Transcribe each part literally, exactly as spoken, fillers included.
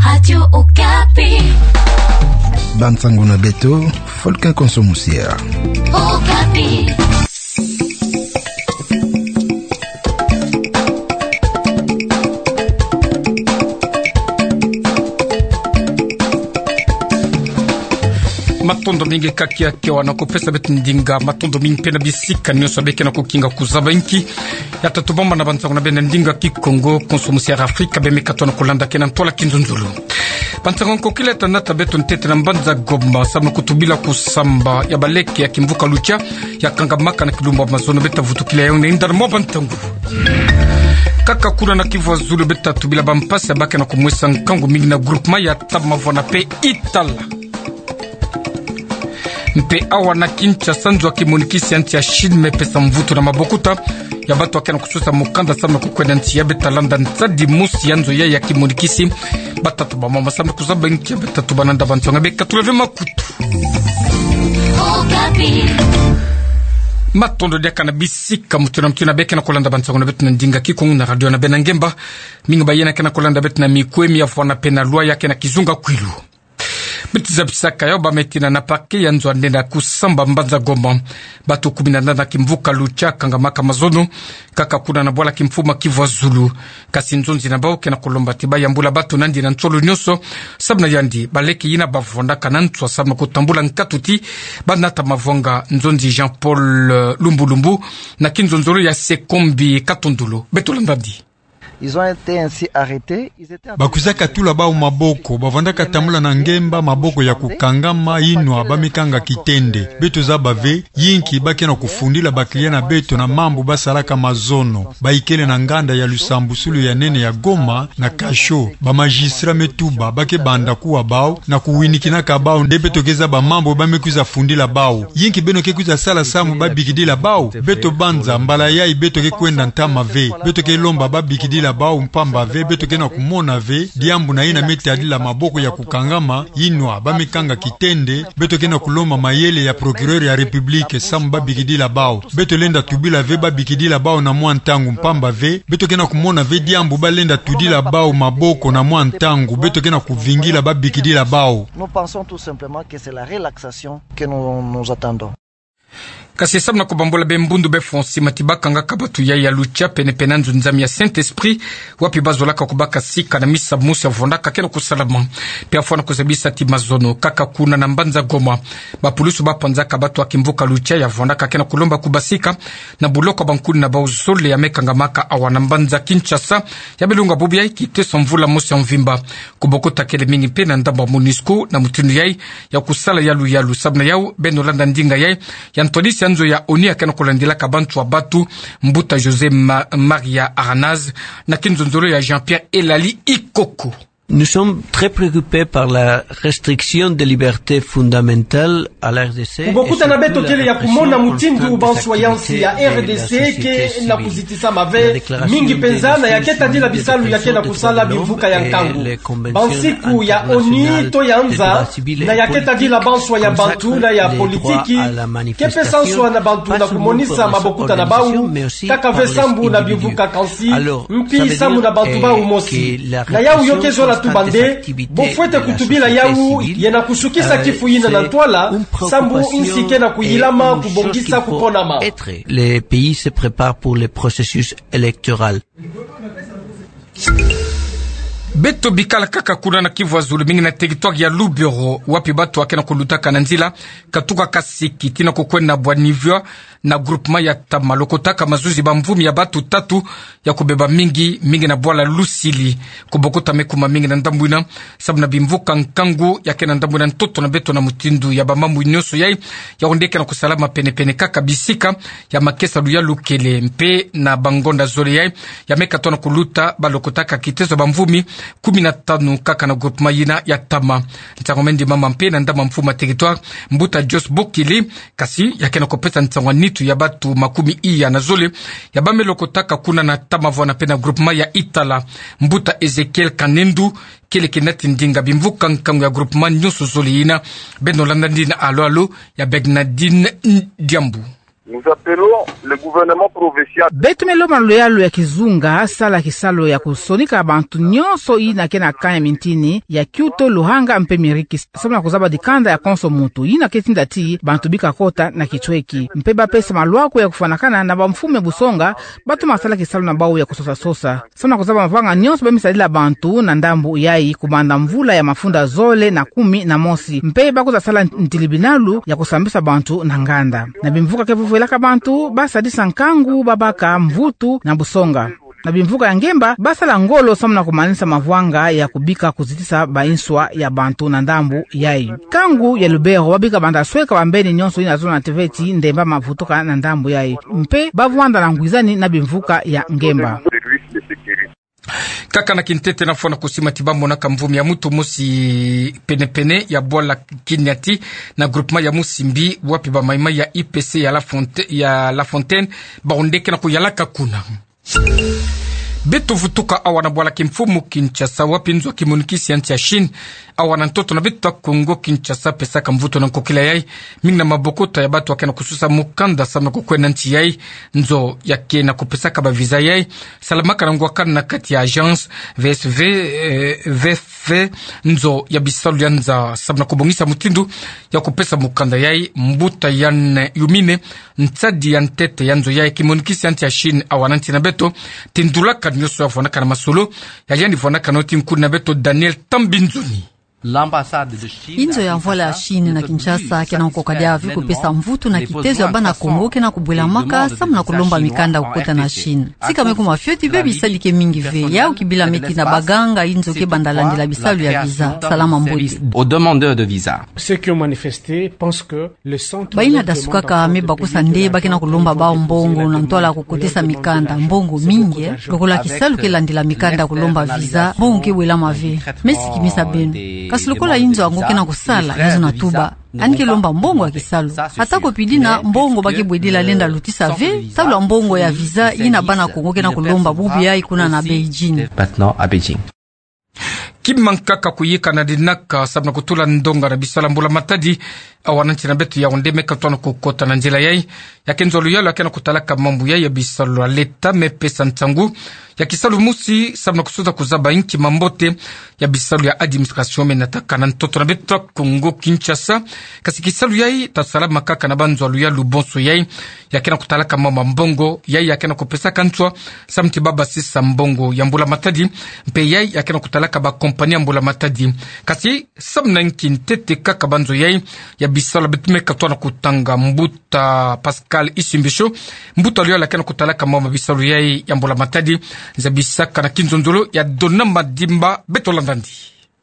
Radio Okapi. Bansango na beto, Folkin Konso Musiera. Okapi. Matondo mingi kaka kiawa na kupesa beto ndinga, matondo mingi mpe na bisika nyonso beke na kukinga kuzaba inki ya tatu bamba na bansango na beno na ndinga Kikongo, Konso Musiera Afrika, beme katoa na kulanda kena ntwala kinzonzolo. Bansango nkokila ta nata beto ntete na mbanza Goma, samu na kutubila kusamba ya baleke ya kimvuka Lucha, ya kangamaka na kilumbu ya mazono. Beta vutukila yawu na inda na mwa bansango. Kaka kuna na Kivu ya Zulu beta tubila bampasi ya bake na kumwesa nkangu mingi na groupement ya Tamavwana mpe Itala. Mpe awa na Kinshasa, nzo ya kimonikisi ya nsi ya Chine me pesa mvutu na mabokuta ya bato yake na kusosa mukanda samu na kukwenda nsi ya beta landa nsadi mosi ya nzo ya ya kimonikisi. Batatu bamama samu na kuzaba inki ya beta tuba na nda bansango, beka tulave makutu. Matondo diaka na bisika mutu na mutu yina beke na kulanda bansango na beto na ndinga Kikongo na radio na beno na ngemba. Mingi bayina ke na kulanda beto na mikwemi ya fwana mpe na lwa yake na kizunga kwilu. Beti zabisaka yawu bame tina na parquet ya nzo ya ndenda kusamba mbanza Goma, bato kumi na nana kimvuka Lucha kangamaka mazono, kaka kuna na bwala kimfumu Kivu ya Zulu. Kasi nzonzi na bawu ke na kulomba ti bayambula bato nandi na nsolo nyonso, samu na yandi baleke yina bavwandaka na nswa samu na kutambula nkatu ti banata mavwanga. Nzonzi Jean-Paul, eh, Lumbulumbu, na kinzonzolo ya Sekombi Katondolo. Beto landadi. Ils ont été ainsi arrêtés. Ils étaient en... Bakwiza katula bawu maboko, bavanda katambula na ngemba maboko ya kukangama, yinwa bamekanga kitende. Beto zaba ve, yinki bake na kufundila ba clients na beto na mambu basalaka mazono. Bayikele na nganda ya lusambusulu ya nene ya Goma, na cachot. Ba magistrats me tuba, bake banda kuwa bawu, na kuwinikinaka bawu, nde beto ke zaba mambu bamekwiza fundila bawu. Yinki beno ke kwiza sala samu babikidila bawu? Beto banza, mbala yayi beto ke kwenda ntama ve. Beto ke lomba babikidila bawu mpamba ve, beto ke na kumona ve diambu na yina me tadila maboko ya kukangama, yinwa bamekanga kitende. Beto ke na kulomba mayele ya procureur ya République samu babikidila bawu. Beto lenda tubila ve babikidila bawu na mwa ntangu mpamba ve. Beto ke na kumona ve diambu balenda tudila bawu maboko na mwa ntangu. Beto ke na kuvingila babikidila bawu. Nous pensons tout simplement que c'est la relaxation que nous, nous attendons. Kasi samu na kubambula be mbundu be fonsi mati bakangaka bato ya ya Lucha pene pene na nzo nzami ya Saint-Esprit, wapi bazolaka kubaka sika na misa mosi ya vwandaka ke na kusalama. Mpe afwana kuzabisa ti mazono, kaka kuna na mbanza Goma, bapulusu bapanzaka bato ya kimvuka Lucha ya vwandaka ke na kulomba kubasika na buloko ya bankuni na bawu zole ya me kangamaka awa na mbanza Kinshasa, ya me lunga bubu ya kiteso mvula mosi ya mvimba. Kubokutakele mingi mpe na ndambu ya MONUSCO na mutindu yayi ya kusala yalu yalu. Samu na yawu, beno landa ndinga yayi ya ntwadisi ya nzo ya ONU ya ke na kulandilaka banswa bato, mbuta José Ma-, Maria Aranaz, na kinzonzolo ya Jean-Pierre Elali Ikoko. Nous sommes très préoccupés par la restriction des libertés fondamentales à la R D C. Kubokuta na beto kele ya kumona mutindu banswa ya nsi ya R D C ke na kuzitisama ve, mingi penza na ya ke tadila bisalu ya ke na kusala bimvuka ya nkangu. Bansiku ya ONU to ya nza, na ya ke tadila banswa ya bantu na ya politiki, ke pesa nswa na bantu na kumonisa mabokuta na bawu, kaka ve sambu na bimvuka kansi, mpi sambu na bantu bawu mosi. Na yawu yo ke zola tuba nde, bo fwete kutubila yawu, ye na kusukisa kifu yina na ntwala, sambu nsi ke na kuyilama kubongisa kukonama. Les pays se préparent pour le processus électoral. Beto bikala kaka kuna na Kivu ya Zulu, mingi na territoire ya Lubero, wapi bato ya ke na kulutaka na nzila, katuka kasiki tii na kukwenda Bwa-Nivwa, na groupement ya Tama, lokotaka mazuzi bamvumi ya bato tatu ya kubeba mingi, mingi na bwala Lusili. Kubokuta me kuma mingi na ndambu yina, samu na bimvuka nkangu ya ke na ndambu yina ntoto na beto na mutindu ya bamambu nyonso yayi, yawu nde ke na kusalama pene pene kaka bisika ya makesa luyalu kele. Mpe na bangonda zole yayi, ya me katoa na kuluta, balokotaka kiteso bamvumi kumi na tanu kaka na groupement yina ya Tama. Nsangu me ndimama mpe na ndambu ya mfumu ya territoire, mbuta Jos Bokili, kasi ya ke na kupesa nsangu ya nitu ya bato makumi iya na zole ya ba me lokotaka kuna na Tamavwana mpe na groupement ya Itala, mbuta Ezekiel Kanendu, kele ke nati ndinga bimvuka nkangu ya groupement nyonso zole yina. Beno landa ndinga alo alo ya Bernardine Diambu. Nous appelons le gouvernement provincial. Beto me lomba na luyalu ya kizunga, sala kisalu ya kusonika bantu nyonso yina ke na camp ya mintini, ya Kyoto, Louhanga mpe Miriki, samu na kuzaba dikanda ya konso muntu, yina ke tinda ti bantu bika kota na kicweki. Mpe bapesa malwaku ya kufwanakana na bamfumu ya busonga, batoma sala kisalu na bawu ya kusosa-sosa. Samu na kuzaba mavanga nyonso ba me sadila bantu na ndambu yayi, kubanda mvula ya mafunda zole na kumi na mosi. Mpe bakwiza sala ntilibinalu ya kusambisa bantu na nganda. Na bimvuka ke vovwelaka bantu, basadisa nkangu, babaka mvutu na busonga. Na bimvuka ya ngemba, basala ngolo samu na kumanisa mavanga ya kubika kuzitisa ba inswa ya bantu na ndambu yayi. Nkangu ya Lubero, babika banda sweka bambeni nyonso yina zona teveti ndemba mavutuka na ndambu yayi. Mpe bavwanda na ngwizani na bimvuka ya ngemba. Kaka na kintete nafwana kusima ti bamonaka mvumi ya mutu mosi pene-pene ya bwala Kiniati na groupement ya Musimbi, wapi ba maï-maï ya I P C ya La Fonte-, ya La Fontaine, bawu nde ke na kuyalaka kuna. Beto vutuka awa na bwala kimfumu Kinshasa, wapi nzo ya kimonikisi ya nsi ya Chine, awa na ntoto na beto ya Kongo Kinshasa, pesaka mvutu na nkokila yayi mingi na mabokota ya bato ya ke na kususa mukanda samu na kukwenda nsi yayi. Nzo ya ke na kupesaka ba visa yayi salamaka na ngwakana na kati ya agence V S V, eh, V F V, nzo ya bisalu ya nza, samu na kubongisa mutindu ya kupesa mukanda yayi. Mbuta Yann Yumine, nsadi ya ntete ya nzo yayi, kimonikisi ya nsi ya Chine awa na nsi na beto, tindulaka nyonso ya vwanaka na masolo, ya yandi vwanaka na yo ti nkuni na beto Daniel Tambinzoni. Inzo ya mvwala ya Chine na Kinshasa ke na kukoka diaka ve kupesa mvutu na kitezo ya bana Kongo ke na kubwelamaka samu na kulomba mikanda kukota na Chine. Tika me kuma fioti ve, bisadi ke mingi ve, yawu kibila me ti na baganga inzo ke banda landila bisalu ya visa. Salama mbote. Aux demandeurs de visa. Ceux qui ont manifesté pensent que le centre Bayina dasukaka me bakusa nde ba ke na kulomba bawu mbongo na ntwala kukotesa mikanda, mbongo mingi, eh. Lokola kisalu ke landila mikanda kulomba visa, mbongo ke bwelama ve. Me sikimisa beno. Kasi lokola inzo yango ke na kusala, ya zona tuba, yandi ke lomba mbongo ya kisalu. Ata ko pi dina, mbongo ba ke bwedila lenda lutisa ve, talo ya mbongo ya visa yina bana Kongo ke na kulomba bubu yayi kuna na Beijing. Maintenant à Beijing. Kima nkaka kuyika na dinaka samu na kutula ndonga na bisalu ya mbula matadi, awa na nsi na beto, Yaoundé me katona kukota na nzila yayi. Ya ke nzo ya luyalu ya ke na kutalaka mambu yayi ya bisalu ya leta me pesa nsangu ya kisalu mosi samu na kusuza kuzaba inki mambote ya bisalu ya administration me nataka na ntoto na beto ya Kongo Kinshasa. Kasi kisalu yayi ta salama kaka na banzo ya luyalu bonso yayi. Ya ke na kutalaka mambu ya mbongo, yayi ya ke na kupesaka nswa samu ti ba basisa mbongo ya mbula matadi, mpe yayi ya ke na kutalaka ba compagnie ya mbula matadi. Kasi samu na nki ntete kaka banzo yayi ya bisalu, beto me katona kutanga mbuta Pascal Isimbisho, mbuta ya luyalu ya ke na kutalaka mambu ya bisalu yayi ya mbula matadi. Zabisaka na kinzonzolo ya Dona Madimba, beto landa ndi.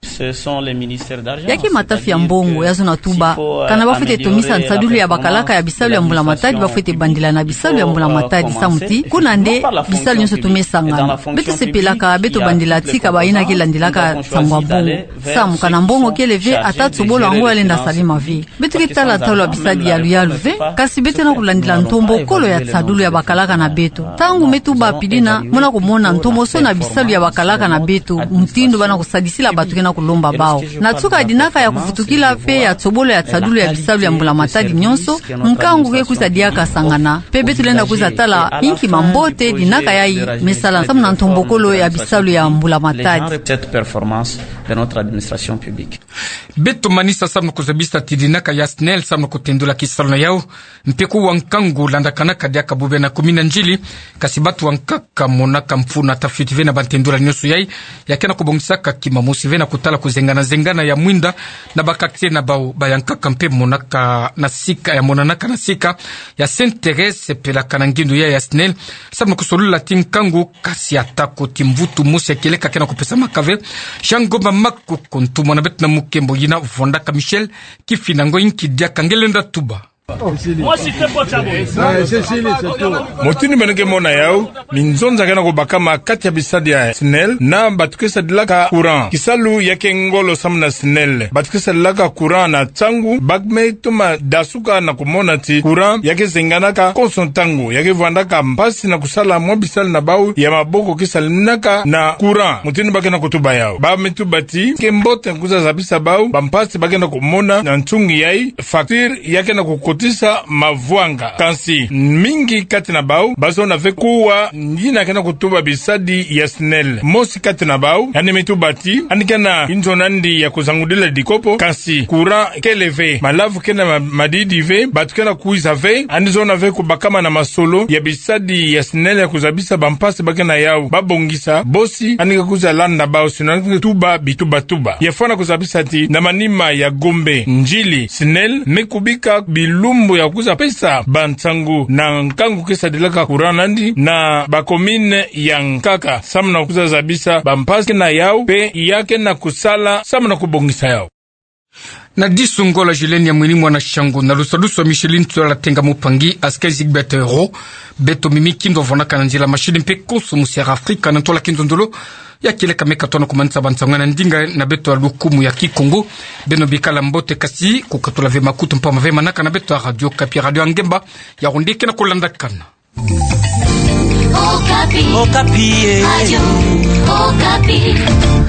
Ce sont les ministères d'argent. Ya ke matafi ya mbongo, ya zona tuba, kana ba fwete tomisa nsadulu ya bakalaka ya bisalu ya mbula matadi, ba fwete bandila na bisalu ya mbula matadi, samu ti kuna nde bisalu nyonso tome sangana. Beto sepelaka beto bandila tika bayina ke landilaka nsangu ya mbongo. Samu kana mbongo kele ve, ata tsobolo yango ya lenda salama ve. Beto ke tala talo ya bisadi ya luyalu ve, kasi beto na kulandila ntombokolo ya nsadulu ya bakalaka na beto. Ntangu me tuba pi dina, muna kumona ntomosono ya bisalu ya bakalaka na beto, mutindu bana kusadisila bato ke na kulomba bawu. Na nsuka ya dinaka ya kuvutukila mpe ya tsobolo ya nsadulu ya bisalu ya mbula matadi nyonso, nkangu ke kwiza diaka sangana. Mpe beto lenda kwiza tala inki mambote dinaka yayi me sala samu na ntombokolo ya bisalu ya mbula matadi. Cette performance de notre administration publique. Beto manisa samu na kuzabisa ti dinaka ya SNEL samu na kutendula kisalu na yawu, mpe kuwa nkangu landakanaka diaka bubena kumi na ndjili, kasi bato bankaka monaka mfunu ta fioti ve na bantendula nyonso yayi. Ya ke na kubongisaka kima mosi ve na kutala kuzengana-zengana ya mwinda na ba quartier na bawu, bayankaka mpe monaka na sika, ya monanaka na sika ya Sainte-Thérèse, pelaka na ngindu yayi ya SNEL samu na kusolula ti nkangu, kasi ata ko ti mvutu mosi ya kieleka ke na kupesamaka ve. Jean Ngomba Makoko, ntumwa na beto na mukembo yina vwandaka Michel Kifinda, ngo inki diaka nge lenda tuba. Mutindu beno ke mona yawu, minzonza ke na kubakama kati ya bisadi ya SNEL na bato ke sadilaka courant. Kisalu ya ke ngolo samu na SNEL. Bato ke sadilaka courant na nsangu, ba me toma dasuka na kumona ti courant ya ke zenganaka konso ntangu, ya ke vwandaka mpasi na kusala mwa bisalu na bawu ya maboko ke salamaka na courant. Mutindu ba ke na kutuba yawu, ba me tuba ti ke mbote kwiza zabisa bawu bampasi ba ke na kumona na nsungi yayi, facture ya ke na kukota kuzisa mavwanga. Kansi mingi kati na bau bazona ve kuwa yina ke na kutuba bisadi ya SNEL. Mosi kati na bau yandi me tuba ti yandi ke na inzo nandi ya kuzangudila dikopo, kansi courant kele ve, malavu ke na ma-, madidi ve, bato ke na kwiza ve, yandi zona ve kubakama na masolo ya bisadi ya SNEL ya kuzabisa bampasi ba ke na yau babongisa. Bosi yandi ke kwiza landa bau, sinon yandi ke tuba bitubatuba. Ya fwana kuzabisa ti na manima ya Gombe, Ndjili, SNEL me kubika bilumbu ya kwiza pesa bansangu na nkangu ke sadilaka courant nandi na ba commune ya nkaka, samu na kwiza zabisa bampasi ke na yau, mpe ya ke na kusala samu na kubongisa yau. Na disu ngola Julien ya Mwini mwana Shangu, na lusadusu wa Micheline Tsola Tenga Mupangi, askeri Zigbert Ro, beto mimi kindo vwanaka na nzila mashini mpe konso musi ya Afrika, na ntola kinzonzolo ya kieleka meka tona kumanisa bansangu na ndinga na beto ya lukumu ya Kikongo. Beno bikala mbote, kasi kukatula ve makutu mpamba ve manaka na beto ya Radio Okapi, radio ya ngemba, ya ronde ke na kulandakana. Okapi. Okapi, eh. Radio Okapi.